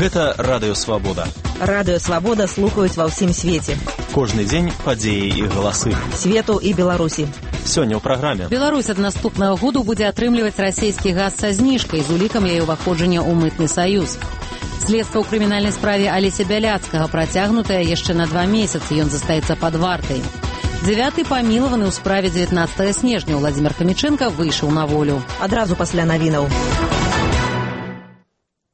Гэта Радыё Свабода. Радыё Свабода слухаюць ва ўсім свеце. Кожны дзень падзеі і галасы. Свету і Беларусі. Сёння ў праграме. Беларусь ад наступнага году будзе атрымліваць расійскі газ са зніжкай з улікам яе ўваходжання ў мытны саюз. Следства ў крымінальнай справе Алеся Бяляцкага працягнутае яшчэ на 2 месяцы. Ён застаецца пад вартай. 9-й памілаваны ў справе 19 снежня Владзімир Хамічэнка выйшаў на волю. Адразу пасля навінаў.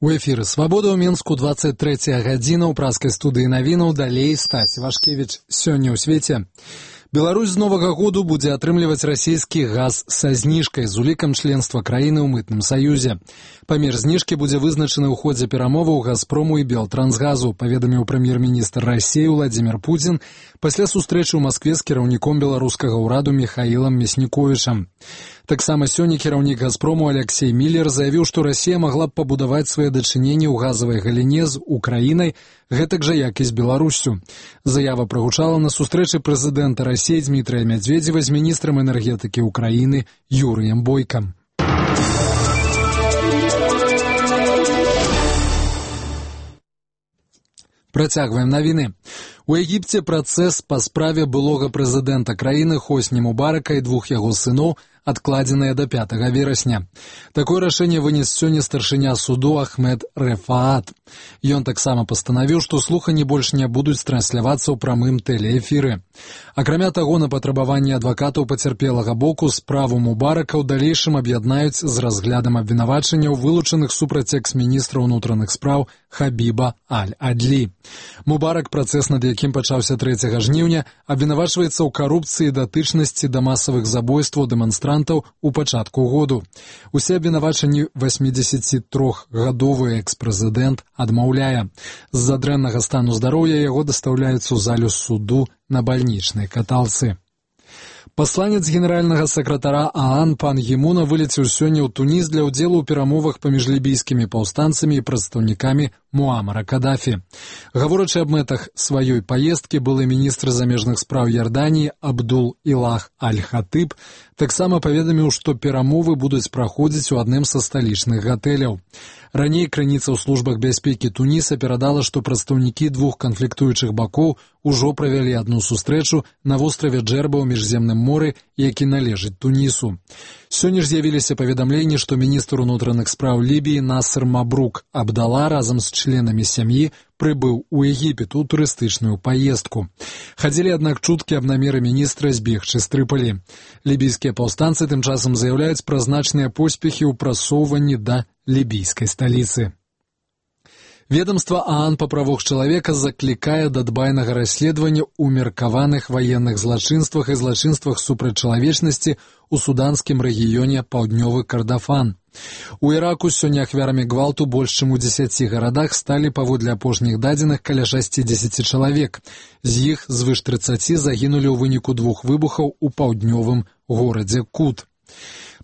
У эфіры «Свабода» ў Мінску, 23 гадзіна, ў праскай студыі навінаў, далей Стась Вашкевіч. Сёння ў свеце. Беларусь з новага году будзе атрымліваць расійскі газ са зніжкай з улікам членства краіны ў мытным саюзе. Памер зніжкі будзе вызначаны ў ходзе перамоваў «Газпрому» і «Белтрансгазу», паведаміў прэм'ер-міністр Расіі Владзімир Путін пасля сустрэчы ў Маскве з кіраўніком беларускага ўраду Михаілам Мясніковічам. Таксама сёння кіраўнік «Газпрому» Алексей Миллер заявіў, што Расія магла б пабудаваць свае дачыненні ў газавай галіне з Украінай, гэтак жа як і з Беларуссю. Заява прагучала на сустрэчы прэзідэнта Расіі Дмітрия Медведева з міністрам энергетыкі Украіны Юрыем Бойкам. Працягваем навіны. У Егіпце працэс па справе былога прэзідэнта краіны Хосні Мубарака і 2 яго сыноў адкладзеныя да 5 верасня. Такое рашэнне вынес сёння старшыня суду Ахмед Рефаат. Ён таксама пастанавіў, што слуханні больш не будуць транслявацца ў прамым тэлеэфіры. Акрамя таго, на патрабаванне адвакатаў пацярпелага боку справу Мубарака ў далейшым аб'яднаюць з разглядам абвінавачанняў вылучаных супраць экс-міністра ўнутраных спраў Хабіба Аль-Адлі. Мубарак, працэс над якім пачаўся 3 жніўня, абвінавачваецца ў карупцыі, датычнасці да масавых забойстваў дэманстрантаў у пачатку году. Усе абвінавачанні 83-гадовы экс-прэзідэнт адмаўляе. З-за дрэннага стану здароўя яго дастаўляюць у залю суду на бальнічнай каталцы. Пасланец генеральнага сакратара ААН пан Гімуна вылецеў сёння ў Туніс для ўдзелу ў перамовах паміж лібійскімі паўстанцамі і прадстаўнікамі Муамара Кадафі. Гаворачы аб мэтах сваёй паездкі, былы міністр замежных спраў Ярданіі Абдул-Ілах Аль-Хатыб таксама паведаміў, што перамовы будуць праходзіць у адным са сталічных гатэляў. Раней крыніца ў службах бяспекі Туніса перадала, што прадстаўнікі 2 канфліктуючых бакоў ужо правялі адну сустрэчу на востраве Джерба ў Міжземным моры, які належыць Тунісу. Сёння ж з'явіліся паведамленні, што міністр унутраных спраў Лібіі Насыр Мабрук Абдала разам з членамі сям'і прыбыў у Егіпет у турыстычную паездку. Хадзілі, аднак, чуткі аб намеры міністра збегчы з Трыполі. Лібійскія паўстанцы тым часам заяўляюць пра значныя поспехі ў прасоўванні да лібійскай сталіцы. Ведомство ААН па правах чалавека заклікае да дбайнага расследавання ў меркаваных ваенных злачынствах і злачынствах супраць чалавечнасці ў суданскім рэгіёне Паўднёвы Кардафан. У Іраку сёння ахвярамі гвалту больш чым у 10 гарадах сталі, паводле апошніх дадзеных, каля 60 чалавек. З іх звыш 30 загінулі ў выніку 2 выбухаў у паўднёвым горадзе Кут.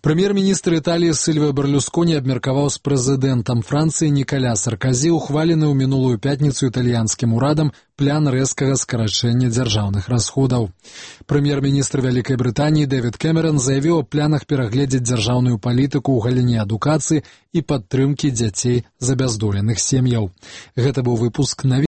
Прэм'ер-міністр Італіі Сільвіо Берлусконі абмеркаваў з прэзідэнтам Францыі Нікаля Сарказі ухвалены ў мінулую пятніцу італьянскім урадам план рэзкага скарачэння дзяржаўных расходаў. Прэм'ер-міністр Вялікай Брытаніі Дэвід Кэмерон заявіў аб планах перагледзець дзяржаўную палітыку ў галіне адукацыі і падтрымкі дзяцей з абяздоленых сем'яў. Гэта быў выпуск навін.